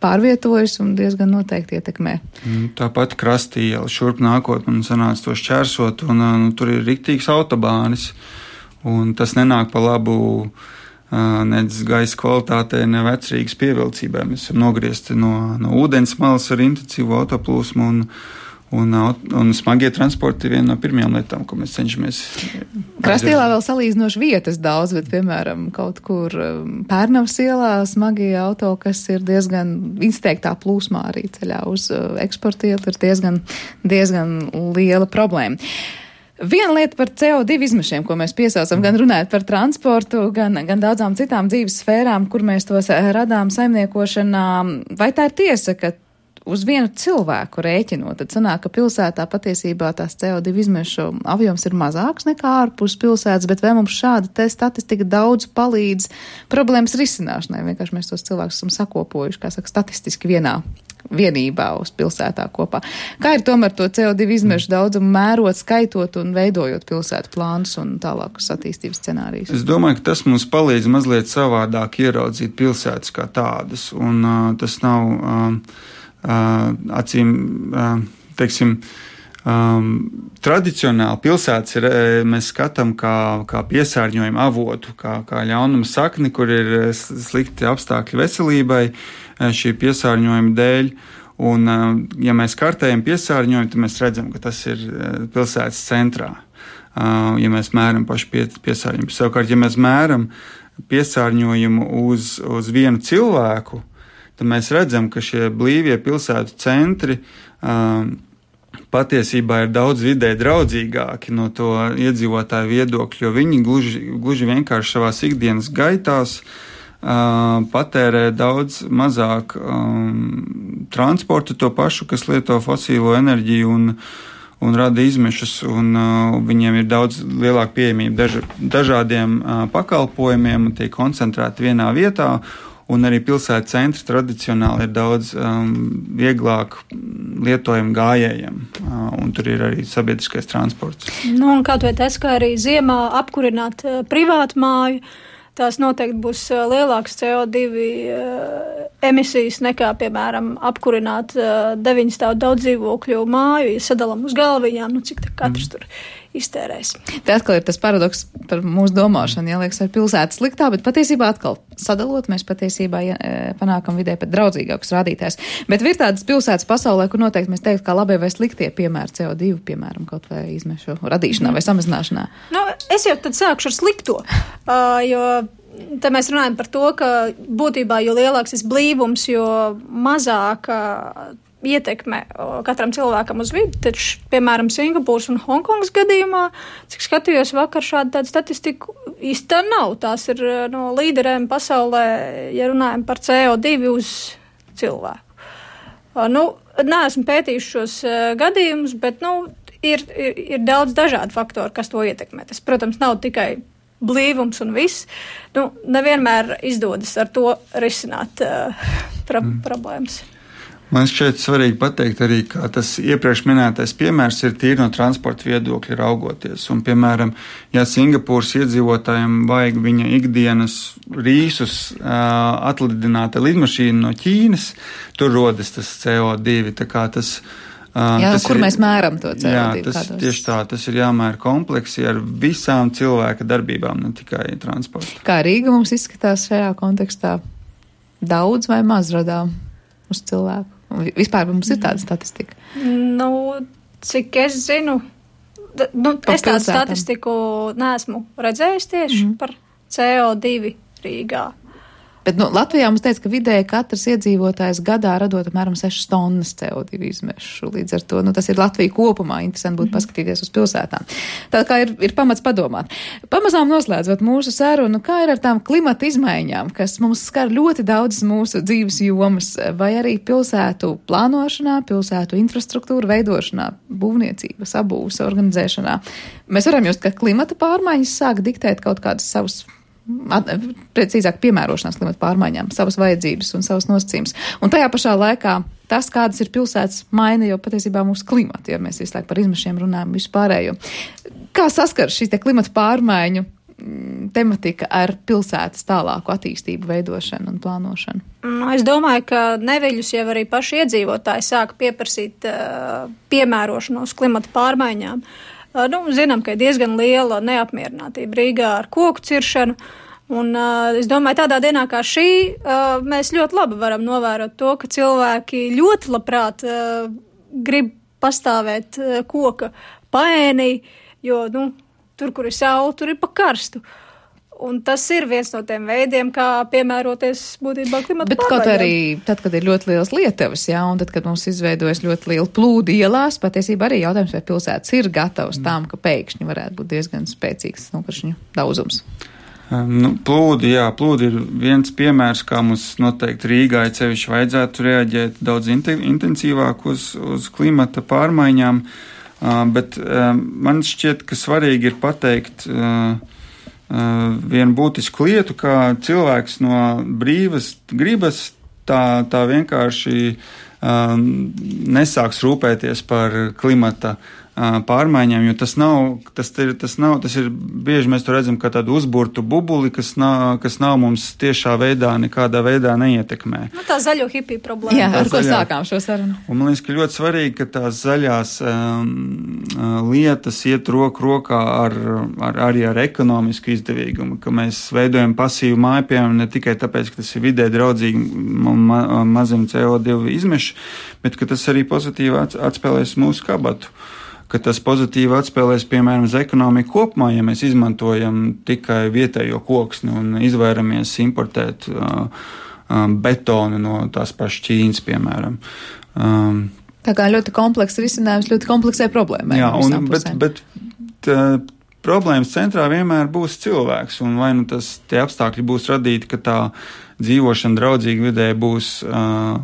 pārvietojas un diezgan noteikti ietekmē. Tāpat krasti iela šurp nākot, man sanāca to šķērsot, un nu, tur ir riktīgs autobānis. Un tas nenāk pa labu uh, nedz gaisa kvalitātei, ne vecrīgas pievilcībai. Mēs esam nogriezti no, no ūdens malas ar intensīvu autoplūsmu, un, un, un smagie transporti ir viena no pirmajām lietām, ko mēs cenšamies. Krastielā vēl salīdzinoši vietas daudz, bet, piemēram, kaut kur Pērnavas ielā smagie auto, kas ir diezgan izteiktā plūsmā arī ceļā uz eksporta ielu, ir diezgan, diezgan liela problēma. Viena lieta par C O divi izmešiem, ko mēs piesaucam, gan runājot par transportu, gan, gan daudzām citām dzīves sfērām, kur mēs tos radām saimniekošanā. Vai tā ir tiesa, ka uz vienu cilvēku rēķinot, tad sanāk, ka pilsētā patiesībā tās C O divi izmešu apjoms ir mazāks nekā ārpus pilsētas, bet vai mums šāda te statistika daudz palīdz problēmas risināšanai? Vienkārši mēs tos cilvēkus esam sakopojuši, kā saka, statistiski vienā vienībā uz pilsētā kopā. Kā ir tomēr to C O divi izmešu daudzumu mērot, skaitot un veidojot pilsētu plānus un tālākus attīstības scenārijus? Es domāju, ka tas mums palīdz mazliet savādāk ieraudzīt pilsētas kā tādas, un uh, tas nav uh, uh, acīm, uh, teiksim, um, tradicionāli pilsētas ir, mēs skatām kā, kā piesārņojumu avotu, kā, kā ļaunuma sakni, kur ir slikti apstākļi veselībai, šī piesārņojuma dēļ, un ja mēs kartējam piesārņojumu, tad mēs redzam, ka tas ir pilsētas centrā, ja mēs mēram pašu piesārņojumu. Savukārt, ja mēs mēram piesārņojumu uz, uz vienu cilvēku, tad mēs redzam, ka šie blīvie pilsētu centri patiesībā ir daudz vidē draudzīgāki no to iedzīvotāju viedokļu, jo viņi gluži, gluži vienkārši savās ikdienas gaitās Uh, patērē daudz mazāk um, transportu, to pašu, kas lieto fosīlo enerģiju un, un rada izmešus, un uh, viņiem ir daudz lielāka pieejamība daž, dažādiem uh, pakalpojumiem, tie koncentrēti vienā vietā, un arī pilsētas centri tradicionāli ir daudz um, vieglāk lietojami gājējiem, uh, un tur ir arī sabiedriskais transports. Nu, un kaut vai tas, kā arī ziemā apkurināt uh, privātu māju, tās noteikti būs lielākas C O divi emisijas nekā, piemēram, apkurināt deviņu stāvu daudz dzīvokļu māju, ja sadalam uz galviņām, nu cik katrs mm. tur iztērēs. Te atkal ir tas paradoks par mūsu domāšanu, ja liekas, ar pilsētu sliktā, bet patiesībā atkal sadalot, mēs patiesībā ja, panākam vidē pat draudzīgākus rādītājus. Bet ir tādas pilsētas pasaulē, kur noteikti mēs teiktu, kā labie vai sliktie piemēri C O divi, piemēram, kaut vai izmešu radīšanā mm. vai samazināšanā. Nu, es jau tad sākšu ar slikto, uh, jo te mēs runājam par to, ka būtībā, jo lielāks ir blīvums, jo mazāk uh, ietekme katram cilvēkam uz vidi, taču, piemēram, Singapūras un Hongkongas gadījumā, cik skatījos vakar šādu tādu statistiku, īsti tā nav. Tās ir no līderēm pasaulē, ja runājam par C O divi uz cilvēku. Nu, neesmu pētījuši šos gadījumus, bet, nu, ir, ir, ir daudz dažādu faktoru, kas to ietekmē. Tas, protams, nav tikai blīvums un viss. Nu, nevienmēr izdodas ar to risināt uh, pra- mm. problēmas. Man šķiet svarīgi pateikt arī, ka tas iepriekš minētais piemērs ir tīri no transporta viedokļa raugoties. Un, piemēram, ja Singapūras iedzīvotājiem vajag viņa ikdienas rīsus uh, atlidināt ar lidmašīnu no Ķīnas, tur rodas tas C O divi. Tā kā tas, uh, jā, tas kur ir, mēs mēram to C O divi? Jā, tas kādos? Tieši tā, tas ir jāmēra kompleksi ar visām cilvēka darbībām, ne tikai transporta. Kā Rīga mums izskatās šajā kontekstā? Daudz vai maz radām uz cilvēku? Vispār mums ir tāda statistika? Nu, cik es zinu, d- nu, es tādu statistiku neesmu redzējis tieši mm. par C O divi Rīgā. Bet nu, Latvijā mums teica, ka vidēji katrs iedzīvotājs gadā radot apmēram sešas tonnas C O divi izmešu. Līdz ar to nu, tas ir Latvija kopumā. Interesanti būtu paskatīties uz pilsētām. Tā kā ir, ir pamats padomāt. Pamazām noslēdzot mūsu sarunu, kā ir ar tām klimata izmaiņām, kas mums skar ļoti daudzas mūsu dzīves jomas, vai arī pilsētu plānošanā, pilsētu infrastruktūra veidošanā, būvniecības, abūves organizēšanā. Mēs varam just, ka klimata pārmaiņas sāk diktēt kaut kādas savus precīzāk piemērošanās klimata pārmaiņām, savas vajadzības un savas nosacījumus. Un tajā pašā laikā tas, kādas ir pilsētas, maina jau patiesībā mūsu klimatu, ja mēs visu laiku par izmešiem runājam vispārējo. Kā saskar šī te klimata pārmaiņu tematika ar pilsētas tālāku attīstību, veidošanu un plānošanu? Nu, es domāju, ka neviļus jau arī paši iedzīvotāji sāk pieprasīt uh, piemērošanos klimata pārmaiņām. Nu, zinām, ka ir diezgan liela neapmierinātība Rīgā ar koku ciršanu, un uh, es domāju, tādā dienā kā šī uh, mēs ļoti labi varam novērot to, ka cilvēki ļoti labprāt uh, grib pastāvēt uh, koka paēnī, jo, nu, tur, kur ir saule, tur ir pa karstu. Un tas ir viens no tiem veidiem, kā piemēroties būtībā klimata Bet pārmaiņām. Kaut arī tad, kad ir ļoti liels lietavas, jā, un tad, kad mums izveidojas ļoti liela plūdi ielās, patiesībā arī jautājums, vai pilsētas ir gatavs mm. tām, ka pēkšņi varētu būt diezgan spēcīgs nokaršņu daudzums. Nu, plūdi, jā, plūdi ir viens piemērs, kā mums noteikti Rīgā cevišķi vajadzētu reaģēt daudz intensīvāk uz, uz klimata pārmaiņām, uh, bet uh, man šķiet, ka svarīgi ir pateikt uh, Uh, vienu būtisku lietu, kā cilvēks no brīvas gribas tā, tā vienkārši uh, nesāks rūpēties par klimata uh, pārmaiņām, jo tas nav, tas ir, tas nav, tas ir bieži mēs to redzam kā tādu uzburtu bubuli, kas nav, kas nav mums tiešā veidā, nekādā veidā neietekmē. Nu, tā zaļo hipiju problēma. Jā, ar tā ko zaļā... sākām šo sarunu. Un man liekas, ka ļoti svarīgi, ka tās zaļās um, lietas iet roku rokā ar, ar, arī ar ekonomisku izdevīgumu, ka mēs veidojam pasīvu māju, piemēram, ne tikai tāpēc, ka tas ir vidē draudzīgi ma, mazam C O divi izmešu, bet ka tas arī pozitīvi atspēlēs mūsu kabatu. Ka tas pozitīvi atspēlēs, piemēram, uz ekonomiku kopumā, ja mēs izmantojam tikai vietējo koksni un izvairamies importēt uh, um, betonu no tās pašas Ķīnas, piemēram. Um, Tā kā ļoti komplekss risinājums ļoti kompleksai problēmai. Jā, un, bet, bet tā, problēmas centrā vienmēr būs cilvēks, un vai nu tas tie apstākļi būs radīti, ka tā dzīvošana draudzīga vidē būs uh,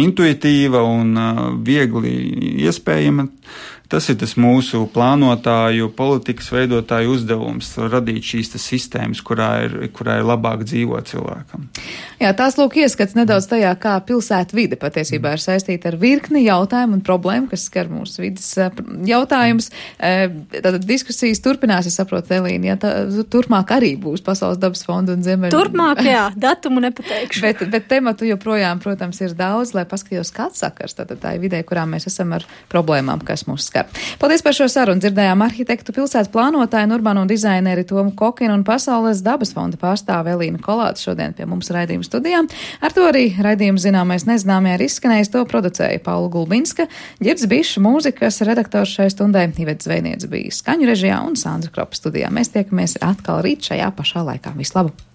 intuitīva un uh, viegli iespējama, tas ir tas mūsu plānotāju, politikas veidotāju uzdevums - radīt šīs sistēmas, kurā ir, kurā ir labāk dzīvot cilvēkam. Jā, tās lūk ieskats nedaudz tajā, kā pilsētu vide patiesībā ir saistīta ar virkni jautājumu un problēmu, kas skar mūsu vidas jautājumus. Tātad diskusijas turpinās, es saprotu, Elīna, ja tā, turpmāk arī būs Pasaules dabas fonda un Ziemeļu. Turpmāk, jā, datumu nepateikšu. bet, bet tematu joprojām, protams, ir daudz, lai paskatītos, kāds sakars tātad tā ir vidē, kurā mēs esam ar problēmām, kas mūs skar. Paldies par šo sarunu. Dzirdējām arhitektu, pilsētu plānotāju un urbāno dizaineri Tomu Kokinu un Pasaules dabas fonda pārstāve Elīna Kolāte šodien pie mums raidījuma studijā. Ar to arī raidījums Zināmais nezināmajā ir izskanējis. To producēja Paula Gulbinska, Ģirds Bišs, mūzikas redaktors šai stundai, Iveta Zvejniece bija skaņu režijā un Sandra Kropa studijā. Mēs tiekamies atkal rīt šajā pašā laikā. Vislabāk!